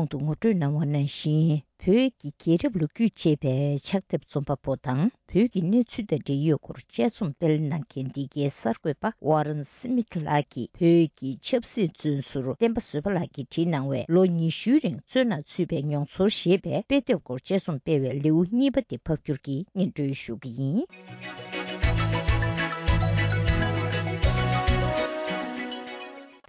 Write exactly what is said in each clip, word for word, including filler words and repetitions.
གོང་དུ་ངོ་སྤྲོད་གནང་བ་ནང་བཞིན། བོད་ཀྱི་རྒྱལ་རབས་ལོ་རྒྱུས་ཅེས་པའི་ཕྱག་དེབ་རྩོམ་པ་པོ་དང་། བོད་ཀྱི་གནས་ཚུལ་དང་འབྲེལ་ཡོད་སྐོར་དཔྱད་རྩོམ་སྤེལ་གནང་མཁན་འདི་གའི་གསར་འགོད་པ་ཝ་རན་སི་མིད་ལགས་ཀྱིས། བོད་ཀྱི་ཆབ་སྲིད་བཙོན་ཟུར་བསྟན་པ་བཟོད་པ་ལགས་ཀྱིས་བྲིས་གནང་བའི། ལོ་ཉི་ཤུའི་རིང་བཙོན་ནང་ཚུད་པའི་མྱོང་ཚོར་ཞེས་པའི་དཔེ་དེབ་སྐོར་དཔྱད་རྩོམ་སྤེལ་བའི་ལེའུ་གཉིས་པ་དེ་ཕབ་བསྒྱུར་གྱིས་སྙན་སྒྲོན་ཞུ་གི་ཡིན།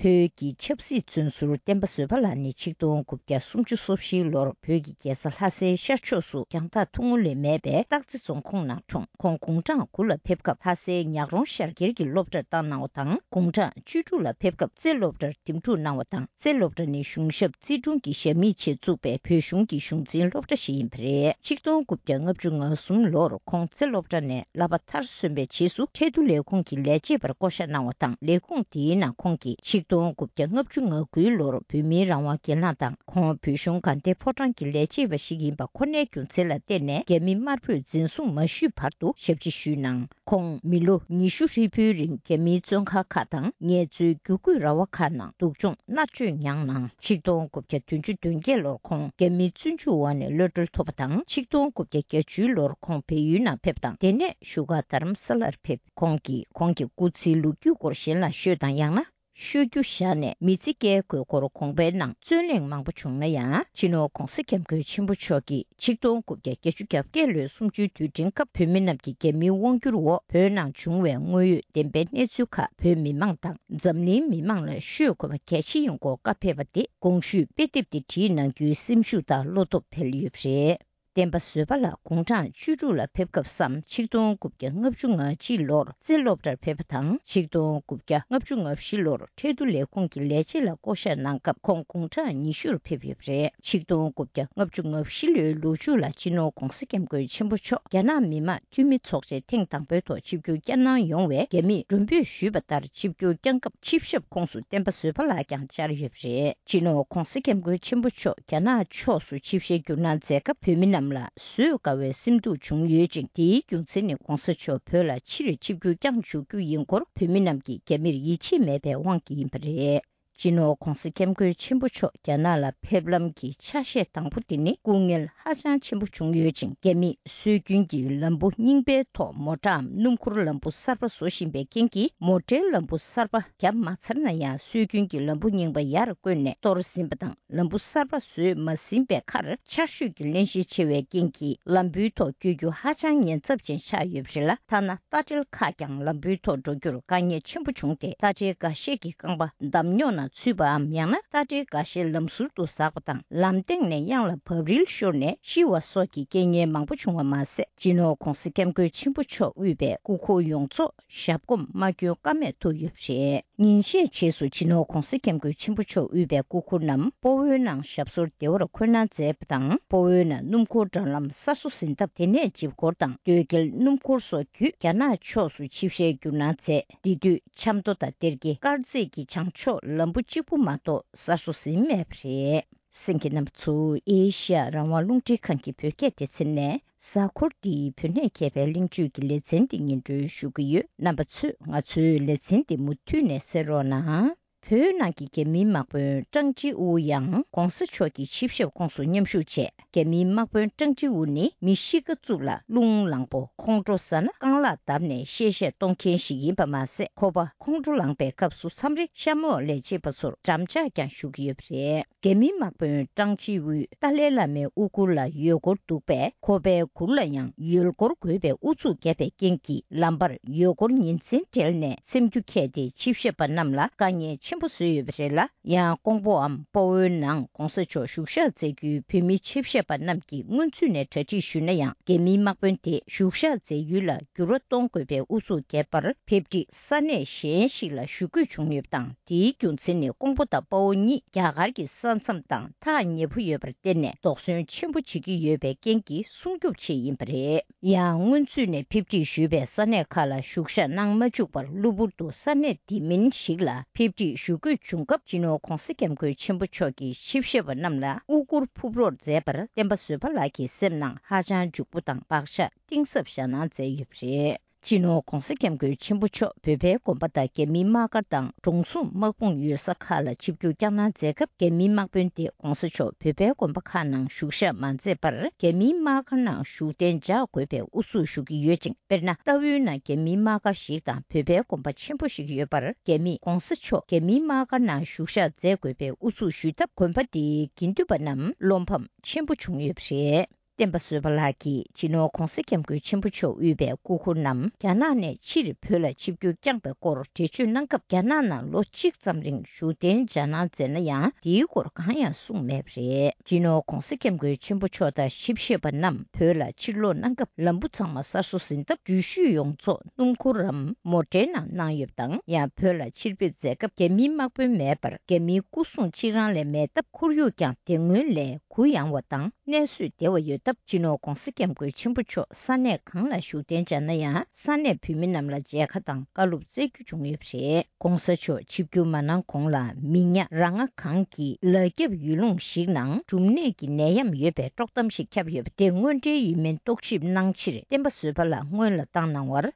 བོད་ཀྱི་ཆབ་སྲིད་བཙོན་ཟུར་བསྟན་པ་བཟོད་པ་ལགས་ནི་ཆིག་སྟོང་དགུ་བརྒྱ་སུམ་ཅུ་སོ་བཞིའི་ལོར་བོད་ཀྱི་རྒྱལ་ས་ལྷ་སའི་ཤར་ཕྱོགས་སུ་རྒྱང་ཐག་ཐུང་ངུ་ལས་མེད་པའི་སྟག་རྩེ་རྫོང་ཁོངས་ནང་འཁྲུངས། ཁོང་དགུང་གྲངས་དགུ་ལ་ཕེབས་སྐབས། ལྷ་སའི་ཉག་རོང་ཤར་རྒྱལ་གྱི་སློབ་གྲྭར་བཏང་གནང་བ་དང་། དགུང་གྲངས་བཅུ་དྲུག་ལ་ཕེབས་སྐབས། རྩེ་སློབ་གྲྭར་འདེམས་སྒྲུག་གནང་བ་དང་། རྩེ་སློབ་གྲྭ་ནི་གཞུང་ཞབས་རྩིས་དྲུང་གི་ཞབས་མི་ཆེད་བཙུགས་པའི་བོད་གཞུང་གི་གཞུང་འཛིན་སློབ་གྲྭ་ཞིག་ཡིན་པ་རེད། ཆིག་སྟོང་དགུ་བརྒྱ་ལྔ་བཅུ་ང་གསུམ་ལོར་ཁོང་རྩེ་སློབ་གྲྭ་ནས་བསླབ་པ་མཐར་སོན་པའི་རྗེས་སུ། ཁྲལ་བསྡུ་ལས་ཁུངས་ཀྱི་ལས་བྱེད་པར་བསྐོ་བཞག་གནང་བ་དང་། ལས་ཁུངས་དེའི་ནང་ཁོང་གིས་ཆིག་སྟོང་དགུ་བརྒྱ་ལྔ་བཅུ་ང་དགུའི་ལོར་བོད་མིའི་རང་དབང་སྒེར་ལངས་དང་། ཁོང་བོད་གཞུང་དགའ་ལྡན་ཕོ་བྲང་གི་ལས་བྱེད་པ་ཞིག་ཡིན་པ་ཁོ་ནའི་རྒྱུ་མཚན་ལ་བརྟེན་ནས། རྒྱ་མི་དམར་པོས་འཛིན་བཟུང་མ་ཞུས་བར་དུ་ཞབས་ཕྱི་ཞུས་གནང་། ཁོང་མི་ལོ་ཉི་ཤུ་ཧྲིལ་པོའི་རིང་རྒྱ་མིའི་བཙོན་ཁང་ཁག་དང་། ངལ་རྩོལ་བརྒྱུད་སྐུད་ར་བ་ཁག་ནང་སྡུག་སྦྱོང་མནར་གཅོད་མྱངས་གནང་། ཆིག་སྟོང་དགུ་བརྒྱ་བདུན་ཅུ་དོན་བརྒྱད་ལོར་ཁོང་རྒྱ་མིའི་བཙོན་འཇུག་འོག་ནས་གློད་གྲོལ་ཐོབ་པ་དང་། ཆིག་སྟོང་དགུ་བརྒྱ་བརྒྱད་ཅུའི་ལོར་ཁོང་བལ་ཡུལ་ནང་ཕེབས་དང་། དེ་ནས་བཞུགས་སྒར་རྡ་རམ་ས་ལར་ཕེབས། ཁོང་གིས་ཁོང་གི་སྐུ་ཚེའི་ལོ་རྒྱུས་སྐོར་གཞན་ལ་ཤོད་དང་། ཡང་ན་ཤོད་རྒྱུ་བཞག་ནས་མི་ཚེ་སྐྱེལ་དགོས་སྐོར་དགོངས་པའི་ནང་རྩོད་གླེང་མང་པོ་བྱུང་ན་ཡང་། སྤྱི་ནོར་༧གོང་ས་༧སྐྱབས་མགོན་ཆེན་པོ་མཆོག་གིས་ཆིག་སྟོང་དགུ་བརྒྱ་བརྒྱད་ཅུ་གྱ་བརྒྱད་ལོའི་གསུམ་བཅུའི་དུས་དྲན་སྐབས། བོད་མི་རྣམས་ཀྱིས་རྒྱ་མིའི་དབང་བསྒྱུར་འོག་བོད་ནང་བྱུང་བའི་དངོས་ཡོད་བདེན་པའི་གནས་ཚུལ་ཁག་བོད་མི་མང་དང་འཛམ་གླིང་མི་མང་ལ་ཤོད་དགོས་པ་གལ་ཆེ་ཡིན་སྐོར་བཀའ་ཕེབས་པ་དེ་གོང་ཞུས་དཔེ་དེབ་དེ་བྲིས་གནང་རྒྱུའི་སེམས་ཤུགས་དང་བློ་སྟོབས་འཕེལ་ཡོད་པ་རེད། བསྟན་པ་བཟོད་པ་ལགས་དགུང་གྲངས་བཅུ་དྲུག་ལ་ཕེབས་སྐབས་སམ། ཆིག་སྟོང་དགུ་བརྒྱ་ལྔ་བཅུ་ང་གཅིག་ལོར་རྩེ་སློབ་གྲྭར་ཕེབས་པ་དང་། ཆིག་སྟོང་དགུ་བརྒྱ་ལྔ་བཅུ་ང་བཞི་ལོར་ཁྲལ་བསྡུ་ལས་ཁུངས་ཀྱི་ལས་བྱེད་ལ་བསྐོ་བཞག་གནང་སྐབས། ཁོང་དགུང་གྲངས་ཉི་ཤུར་ཕེབས་ཡོད་པ་རེད། ཆིག་སྟོང་དགུ་བརྒྱ་ལྔ་བཅུ་ང་བཞི་ལོའི་ལོ་མཇུག་ལ་སྤྱི་ནོར་༧གོང་ས་༧སྐྱབས་མགོན་ཆེན་པོ་མཆོག་རྒྱ་ནག་མི་དམངས་འཐུས་མི་ཚོགས་ཆེན་ཐེངས་དང་པོའི་ཐོག་ཆིབས་བསྒྱུར་བསྐྱངས་གནང་ཡོང་བའི་རྒྱ་མིས་མགྲོན་འབོད་ཞུས་པ་ལྟར་ཆིབས་བསྒྱུར་བསྐྱངས་སྐབས། ཆིབས་ཞབས་ཁོངས་སུ་བསྟན་པ་བཟོད་པ་ལགས་ཀྱང་བཅར་ཡོད་པ་རེད། སྤྱི་ནོར་༧གོང་ས་༧སྐྱབས་མགོན་ཆེན་པོ་མཆོག་རྒྱ་ནག་ཕྱོགས་སུ་ཆིབས་ཞལ་བསྒྱུར་གནང་མཛད་སྐབས། བོད་མི་རྣམས་ལ་བཟོད་དཀའ་བའི་སེམས་སྡུག་བྱུང་ཡོད་ཅིང་། དེའི་རྒྱུ་མཚན་ནི་༧གོང་ས་མཆོག་བོད་ལ་ཕྱིར་ཆིབས་བསྒྱུར་བསྐྱངས་འཇུག་རྒྱུ་ཡིན་སྐོར་བོད་མི་རྣམས་ཀྱིས་རྒྱ་མིར་ཡིད་ཆེས་མེད་པའི་དབང་གིས་ཡིན་པ་རེད། སྤྱི་ནོར་༧གོང་ས་༧སྐྱབས་མགོན་ཆེན་པོ་མཆོག་རྒྱ་ནག་ལ་ཕེབས་ལམ་གྱི་ཆ་ཤས་དང་པོ་དེ་ནི་སྐུ་ངལ་ཧ་ཅང་ཆེན་པོ་བྱུང་ཡོད་ཅིང་། རྒྱ་མིས་སྲོལ་རྒྱུན་གྱི་ལམ་བུ་རྙིང་པའི་ཐོག་མོ་ཊའམ་སྣུམ་འཁོར་ལམ་བུ་གསར་པ་བཟོ་བཞིན་པའི་རྐྱེན་གྱིས། མོ་ཊའི་ལམ་བུ་གསར་པ་བརྒྱབ་མ་ཚར་ན་ཡང་། སྲོལ་རྒྱུན་གྱི་ལམ་བུ་རྙིང་པ་ཡར་བསྐོར་ནས་གཏོར་ཟིན་པ་དང་། ལམ་བུ་གསར་པ་བཟོས་མ་ཟིན་པའི་ཁར་ཆར་ཞོད་ཀྱི་བརླན་གཤེར་ཆེ་བའི་རྐྱེན་གྱིས། ལམ་བུའི་ཐོག་བསྐྱོད་རྒྱུ་ཧ་ཅང་ཉེན་ཚབས་ཅན་ཆགས་ཡོད་པ་རེད་ལ། ཐ་ན་རྟ་དྲེལ་ཁག་ཀྱང་ལམ་བུའི་ཐོག་འགྲོ་རྒྱུར་དཀའ་ངལ་ཆེན་པོ་བྱུང་སྟེ། རྟ་དྲེལ་འགའ་ཤས་ཀྱི་རྐང་པ་འདམ་རྙོག་ནང་ཚུད་པའམ། ཡང་ན་རྟ་དྲེལ་འགའ་ཤས་ལམ་ཟུར་དུ་ཟགས་པ་དང་། ལམ་སྟེང་ནས་གཡང་ལ་བབས་རིལ་ཤོར་ནས་ཤི་བ་སོགས་ཀྱི་རྐྱེན་ངན་མང་པོ་བྱུང་བ་མ་ཟད། སྤྱི་ནོར་༧གོང་ས་༧སྐྱབས་མགོན་ཆེན་པོ་མཆོག་དབུས་པའི་སྐུ་འཁོར་ཡོངས་རྫོགས་ཞབས་གོམ་མ་བསྐྱོན་ཀ་མེད་ཐུག་ཡོད་པ་རེད། ཉིན་ཤས་རྗེས་སུ་སྤྱི་ནོར་༧གོང་ས་༧སྐྱབས་མགོན་ཆེན་པོ་མཆོག་དབུས་པའི་སྐུ་འཁོར་རྣམས་སྤོ་བོའི་ནང་ཞབས་སོར་བདེ་བར་འཁོད་གནང་མཛད་པ་དང་། སྤོ་བོའི་ནང་སྣུམ་འཁོར་འགྲམ་ལམ་གསར་བཟོ་ཟིན་ཐབས་དེ་ནས་ཇིབ་སྐོར་དང་སྟོད་སྐྱེལ་སྣུམ་འཁོར་སོགས་བརྒྱུད་རྒྱ་ནག་ཕྱོགས་སུ་ཆིབས་ཞལ་བསྒྱུར་གནང་མཛད། འདི་དུས་ཆབ་མདོ་དང་སྡེ་དགེ། དཀར་མཛེས་ཀྱི་བྱང་ཕྱོགས་ལམ་བུ་གཅིག་པུ་མ་གཏོགས་གསར་བཟོ་ཟིན་མེད་པ་རེད། གསན་མཁན་རྣམ་པ་ཚོ། ཨེ་ཤ་ཡ་རང་དབང་རླུང་འཕྲིན་ཁང་གི་བོད་སྐད་སྡེ་ཚན་ནས། གཟའ་འཁོར་འདིའི་བོད་གནས་མཁས་པའི་གླེང་བརྗོད་ཀྱི་ལེ་ཚན་འདི་སྙན་སྒྲོན་ཞུ་གི་ཡོད། རྣམ་པ་ཚོས་ང་ཚོའི་ལེ་ཚན་འདི་མུ་མཐུད་ནས་གསན་རོགས་གནང་། བོད་ནང་གི་རྒྱ་མིའི་དམག་དཔོན་ཀྲང་ཅི་ཝུ་ཡང་༧གོང་ས་མཆོག་གི་ཆིབས་ཞབས་ཁོངས་སུ་མཉམ་ཞུགས་བྱས། རྒྱ་མིའི་དམག་དཔོན་ཀྲང་ཅི་ཝུ་ནི་མི་གཤིས་ཀ་རྩུབ་ལ་རླུང་ལངས་པོ། ཁོང་ཁྲོ་ཟ་ན་རྐང་ལག་བརྡབས་ནས་གཤེ་གཤེ་གཏོང་མཁན་ཞིག་ཡིན་པ་མ་ཟད། ཁོ་པ་ཁོང་ཁྲོ་ལངས་པའི་སྐབས་སུ་མཚམས་རེ་གཤམ་འོག་ལས་བྱེད་པ་ཚོར་འགྲམ་ལྕག་ཀྱང་གཞུ་གི་ཡོད་པ་རེད། རྒྱ་མིའི་དམག་དཔོན་ཀྲང་ཅི་ཝུས་ཏཱ་ལའི་བླ་མའི་དབུ་གུར་ལ་ཡོལ་སྒོར་འདུག་པས། ཁོ་པའི་གུར་ལ་ཡང་ཡོལ་སྒོར་དགོས་པའི་ཨུ་ཚུགས་བརྒྱབ་པའི་རྐྱེན་གྱིས། ལམ་བར་ཡོལ་སྒོར་ཉིན་མཚན་སྦྲེལ་ནས་འཚེམ་རྒྱུ་ཁྱེར་ཏེ། ཆིབས་ཞབས་པ་རྣམས་ལ་དཀའ་ངལ་ཆེན་པོ་བཟོས་ཡོད་པ་རེད་ལ། ཡང་ཀོང་པོའམ་སྤོ་བོའི་ནང་༧གོང་ས་མཆོག་བཞུགས་ཞག་མཛད་རྒྱུའི་བོད་མི་ཆིབས་ཞབས་པ་རྣམས་ཀྱིས་སྔོན་ཚུད་ནས་གྲ་སྒྲིག་ཞུས་ན་ཡང་། རྒྱ་མིའི་དམག་དཔོན་དེས་བཞུགས་ཞག་མཛད་ཡུལ་ལ་འགྱུར་བ་གཏོང་དགོས་པའི་ཨུ་ཚུགས་བརྒྱབ་པར། ཕེབས་སྒྲིག་ས་གནས་གཞན་ཞིག་ལ་བཞུགས་དགོས་བྱུང་ཡོད་པ་དང་། དེའི་རྒྱུ་མཚན་ནི་ཀོང་པོ་དང་དཔའ་བོ་གཉིས་རྒྱ་གར་གྱི་ས་མཚམས་དང་ཐག་ཉེ་པོ་ཡོད་པར་བརྟེན་ནས། དོགས་ཟོན་ཆེན་པོ་བྱེད་ཀྱི་ཡོད་པའི་རྐྱེན་གྱིས་སྲུང་སྐྱོབ་ཆེད་ཡིན་པ་རེད། ཡང་སྔོན་ཚུད་ནས་ཕེབས་སྒྲིག་ཞུས་པའི་ས་གནས་ཁག་ལ་བཞུགས་ཞག་གནང་མ་བཅུག་པར། གློ་བུར་དུ་ས་གནས་འདི་མིན་ཞིག་ལ་ཕེབས་སྒྲིག་ཞུ་དགོས་བྱུང་སྐབས། སྤྱི་ནོར་༧གོང་ས་༧སྐྱབས་མགོན་ཆེན་པོ་མཆོག་གིས་ཆིབས་ཞབས་པ་རྣམས་ལ་དབུ་གུར་ཕུབ་རོགས་མཛད་པར། བསྟན་པ་བཟོད་པ་ལགས་ཀྱི་སེམས་ནང་ཧ་ཅང་འཇུག་པོ་དང་བག་ཆགས་གཏིང་ཟབ་བཞག་གནང་མཛད་ཡོད་པ་རེད། སྤྱི་ནོར་༧གོང་ས་༧སྐྱབས་མགོན་ཆེན་པོ་མཆོག་བོད་པའི་དགོན་པ་དང་རྒྱ་མིའི་དམག་སྒར་དང་། གྲོང་གསུམ་དམག་དཔུང་ཡོད་ས་ཁག་ལ་ཆིབས་བསྒྱུར་བསྐྱངས་གནང་མཛད་སྐབས། རྒྱ་མིའི་དམག་དཔོན་དེ་༧གོང་ས་མཆོག་བོད་པའི་དགོན་པ་ཁག་ནང་བཞུགས་ཞག་མ་མཛད་པར། རྒྱ་མིའི་དམག་སྒར་ནང་བཞུགས་གདན་འཇགས་དགོས་པའི་ཨུ་ཚུགས་ཞུ་གི་ཡོད་ཅིང་། དཔེར་ན། རྟའུའི་ནང་རྒྱ་མིའི་དམག་སྒར་ཞིག་དང་། བོད་པའི་དགོན་པ་ཆེན་པོ་ཞིག་ཡོད་པར། རྒྱ་མིས་༧གོང་ས་མཆོག་རྒྱ་མིའི་དམག་སྒར་ནང་བཞུགས་ཞག་མཛད་དགོས་པའི་ཨུ་ཚུགས་ཞུས་སྟབས། དགོན་པ་དེའི་དགེ་འདུན་པ་རྣམས་བློ་ཕམ་ཆེན་པོ་བྱུང་ཡོད་པ་རེད། བསྟན་པ་བཟོད་པ་ལགས་ཀྱིས། སྤྱི་ནོར་༧གོང་ས་༧སྐྱབས་མགོན་ཆེན་པོ་མཆོག་དབུས་པའི་སྐུ་འཁོར་རྣམས་རྒྱ་ནག་ནས་ཕྱིར་བོད་ལ་ཆིབས་བསྒྱུར་བསྐྱངས་པའི་སྐོར་འགྲེལ་བརྗོད་གནང་སྐབས། རྒྱ་ནག་ནང་ལོ་གཅིག་ཙམ་རིང་བཞུགས་གདན་འཇགས་གནང་མཛད་ན་ཡང་། དེའི་སྐོར་གང་ཡང་གསུངས་མེད་པ་རེད། སྤྱི་ནོར་༧གོང་ས་༧སྐྱབས་མགོན་ཆེན་པོ་མཆོག་དང་ཞིབ་བཤེར་པ་རྣམས་བོད་ལ་ཕྱིར་ལོག་གནང་སྐབས། ལམ་བུ་ཚང་མ་གསར་བཟོ་ཟིན་སྟབས། འགྲུལ་བཞུད་ཡོངས་རྫོགས་སྣུམ་འཁོར་རམ་མོ་ཊའི་ནང་གནང་ཡོད་པ་དང་། ཡང་བོད་ལ་ཕྱིར་ཕེབས་མཛད་སྐབས། རྒྱ་མིའི་དམག་དཔོན་མེད་པར། རྒྱ་མིའི་སྐུ་སྲུང་གཅིག་རང་ལས་མེད་སྟབས། ཁོར་ཡུག་ཀྱང་དེ་སྔོན་ལས་གུ་ཡངས་བ་དང་། གནས་བཟོས་བདེ་བ་ཡོད་སྟབས། སྤྱི་ནོར་༧གོང་ས་༧སྐྱབས་མགོན་ཆེན་པོ་མཆོག་ས་གནས་གང་ལ་བཞུགས་གདན་འཇགས་ན་ཡང་། ས་གནས་བོད་མི་རྣམས་ལ་མཇལ་ཁ་དང་བཀའ་སློབ་སྩལ་རྒྱུ་བྱུང་ཡོད་པ་རེད། ༸གོང་ས་མཆོག་ཆིབས་བསྒྱུར་མ་གནང་གོང་ལ། མི་ཉག་རང་ང་གང་གི་ལ་རྒྱབ་ཡུལ་ལུང་ཞིག་ནང་འབྲུམ་ནད་ཀྱི་ནད་ཡམས་ཡོད་པའི་དཀྲོག་གཏམ་ཞིག་ཁྱབ་ཡོད་པ་དེ་དངོས་འབྲེལ་ཡིན་མིན་རྟོག་ཞིབ་གནང་ཕྱིར། བསྟན་པ་བཟོད་པ་ལགས་སྔོན་ལ་བཏང་གནང་བར།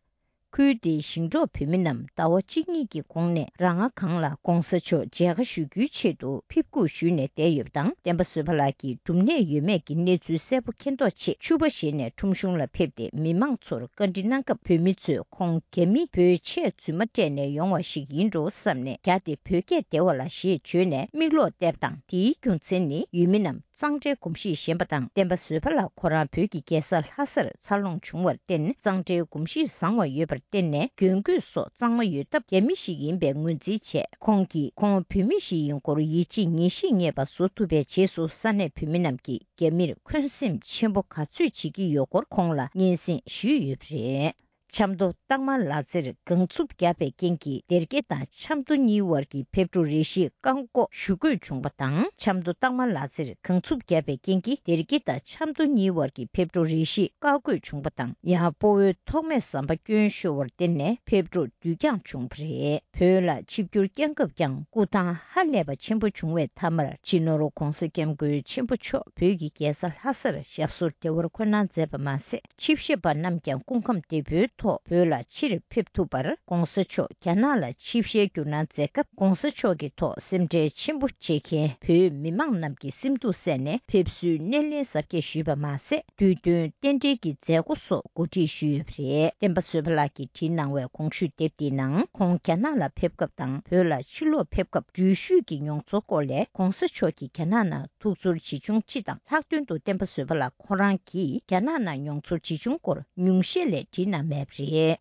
ཁུལ་དེའི་ཞིང་འབྲོག་བོད་མི་རྣམས་ཟླ་བ་གཅིག་གཉིས་ཀྱི་གོང་ནས་རང་ང་གང་ལ་༸གོང་ས་མཆོག་མཇལ་ཁ་ཞུ་རྒྱུའི་ཆེད་དུ་ཕེབས་སྒུག་ཞུས་ནས་བསྡད་ཡོད་པ་དང་། བསྟན་པ་བཟོད་པ་ལགས་ཀྱིས་འབྲུམ་ནད་ཡོད་མེད་ཀྱི་གནས་ཚུལ་གསལ་པོ་མཁྱེན་རྟོགས་ཆེད། ཕྱུ་པ་བཞེས་ནས་ཁྲོམ་གཞུང་ལ་ཕེབས་ཏེ། མི་མང་ཚོར་བཀའ་འདྲི་གནང་སྐབས། བོད་མི་ཚོས་ཁོང་རྒྱ་མི་བོད་ཆས་རྫུན་མ་སྤྲད་ནས་ཡོང་བ་ཞིག་ཡིན་འགྲོ་བསམ་ནས། རྒྱ་དེ་བོད་སྐད་བདེ་བ་ལ་ཞེས་བརྗོད་ནས་མིག་ལོག་བལྟས་པ་དང་། དེའི་རྒྱུ་མཚན་ནི། ཡུལ་མི་རྣམས་གཙང་སྦྲའི་གོམས་གཤིས་ཞན་པ་དང་། བསྟན་པ་བཟོད་པ་ལགས་ཁོ་རང་བོད་ཀྱི་རྒྱལ་ས་ལྷ་སར་འཚར་ལོངས་བྱུང་བར་བརྟེན། གཙང་སྦྲའི་གོམས་གཤིས་བཟང་བ་ཡོད་པར་བརྟེན་ནས། གྱོན་གོས་སོགས་གཙང་མ་ཡོད་སྟབས། རྒྱ་མི་ཞིག་ཡིན་པའི་ངོས་འཛིན་བྱས། ཁོང་གིས་ཁོང་བོད་མི་ཞིག་ཡིན་སྐོར་ཡིད་ཆེས་ངེས་ཤེས་རྙེད་པ་བཟོ་ཐུབ་པའི་རྗེས་སུ། ས་གནས་བོད་མི་རྣམས་ཀྱིས་རྒྱ་མིར་འཁོན་སེམས་ཆེན་པོ་ག་ཚོད་བྱེད་ཀྱི་ཡོད་སྐོར་ཁོང་ལ་སྙན་སེང་ཞུས་ཡོད་པ་རེད། ཆབ་མདོ་སྟག་དམར་ལག་རྩེར་གངས་འཚུབ་བརྒྱབ་པའི་རྐྱེན་གྱིས། སྡེར་ཁ་དང་ཆབ་མདོ་གཉིས་བར་གྱི་ཕེབས་འགྲོ་རེ་ཞིག་བཀག་འགོག་ཞུ་དགོས་བྱུང་བ་དང་། ཆབ་མདོ་སྟག་དམར་ལག་རྩེར་གངས་འཚུབ་བརྒྱབ་པའི་རྐྱེན་གྱིས། སྡེར་ཁ་དང་ཆབ་མདོ་གཉིས་བར་གྱི་ཕེབས་འགྲོ་རེ་ཞིག་བཀག་དགོས་བྱུང་བ་དང་། ཡང་སྤོ་བོའི་ཐོགས་མེད་ཟམ་པ་སྐྱོན་ཤོར་བར་བརྟེན་ནས་ཕེབས་འགྲོ་དུས་འགྱངས་བྱུང་བ་རེད། བོད་ལ་ཆིབས་བསྒྱུར་བསྐྱངས་སྐབས་ཀྱང་སྐུ་ཐང་ཧ་ལས་པ་ཆེན་པོ་བྱུང་བའི་མཐའ་མར། སྤྱི་ནོར་༸གོང་ས་༸སྐྱབས་མགོན་ཆེན་པོ་མཆོག་བོད་ཀྱི་རྒྱལ་ས་ལྷ་སར་ཞབས་སོར་བདེ་བར་འཁོད་གནང་མཛད་པ་མ་ཟད། ཆིབས་ཞབས་པ་རྣམས་ཀྱང་སྐུ་ཁམས་བདེ་པོའི་ཐོག་བོད་ལ་ཕྱིར་ཕེབས་ཐུབ་པར། ༸གོང་ས་མཆོག་རྒྱ་ནག་ལ་ཆིབས་ཞལ་བསྒྱུར་གནང་མཛད་སྐབས། ༸གོང་ས་མཆོག་གི་ཐོག་སེམས་ཁྲལ་ཆེན་པོ་བྱེད་མཁན་བོད་མི་མང་རྣམས་ཀྱི་སེམས་སྡུག་བསལ་ནས། ཕེབས་བསུའི་སྣེ་ལེན་གཟབ་རྒྱས་ཞུས་པ་མ་ཟད། དུས་སྟོན་རྟེན་འབྲེལ་གྱི་མཛད་སྒོ་སོགས་གོ་སྒྲིག་ཞུས་ཡོད་པ་རེད། བསྟན་པ་བཟོད་པ་ལགས་ཀྱིས་བྲིས་གནང་བའི་གོང་ཞུས་དེབ་འདིའི་ནང་། ཁོང་རྒྱ་ནག་ལ་ཕེབས་སྐབས་དང་། བོད་ལ་ཕྱིར་ལོག་ཕེབས་སྐབས་འགྲུལ་བཞུད་ཀྱི་མྱོང་ཚོར་སྐོར་ལས། ༸གོང་ས་མཆོག་གིས་རྒྱ་ནག་ནང་ཐུགས་ཚོར་ཇི་བྱུང་སྤྱི་དང་། ལྷག་དོན་དུ་བསྟན་པ་བཟོད་པ་ལགས་ཁོ་རང་གིས་རྒྱ་ནག་ནང་མྱོང་ཚོར་ཇི་བྱུང་སྐོར་ཉུང་ཤས་ལས་བྲིས་གནང་མེད་པ་རེད།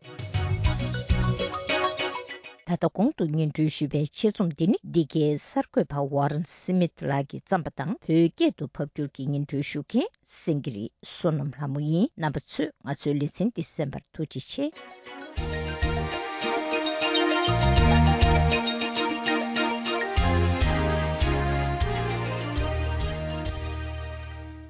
ད་ལྟ་གོང་དུ་སྙན་སྒྲོན་ཞུས་པའི་ཆེད་རྩོམ་འདི་ནི། འདི་གའི་གསར་འགོད་པ་ཝ་རན་སི་མིད་ལགས་ཀྱིས་བརྩམས་པ་དང་། བོད་སྐད་དུ་ཕབ་བསྒྱུར་གྱིས་སྙན་སྒྲོན་ཞུ་མཁན་སེང་གེ་རི་བསོད་ནམས་ལྷ་མོ་ཡིན། རྣམ་པ་ཚོས་ང་ཚོའི་ལེ་ཚན་འདི་གསན་པར་ཐུགས་རྗེ་ཆེ།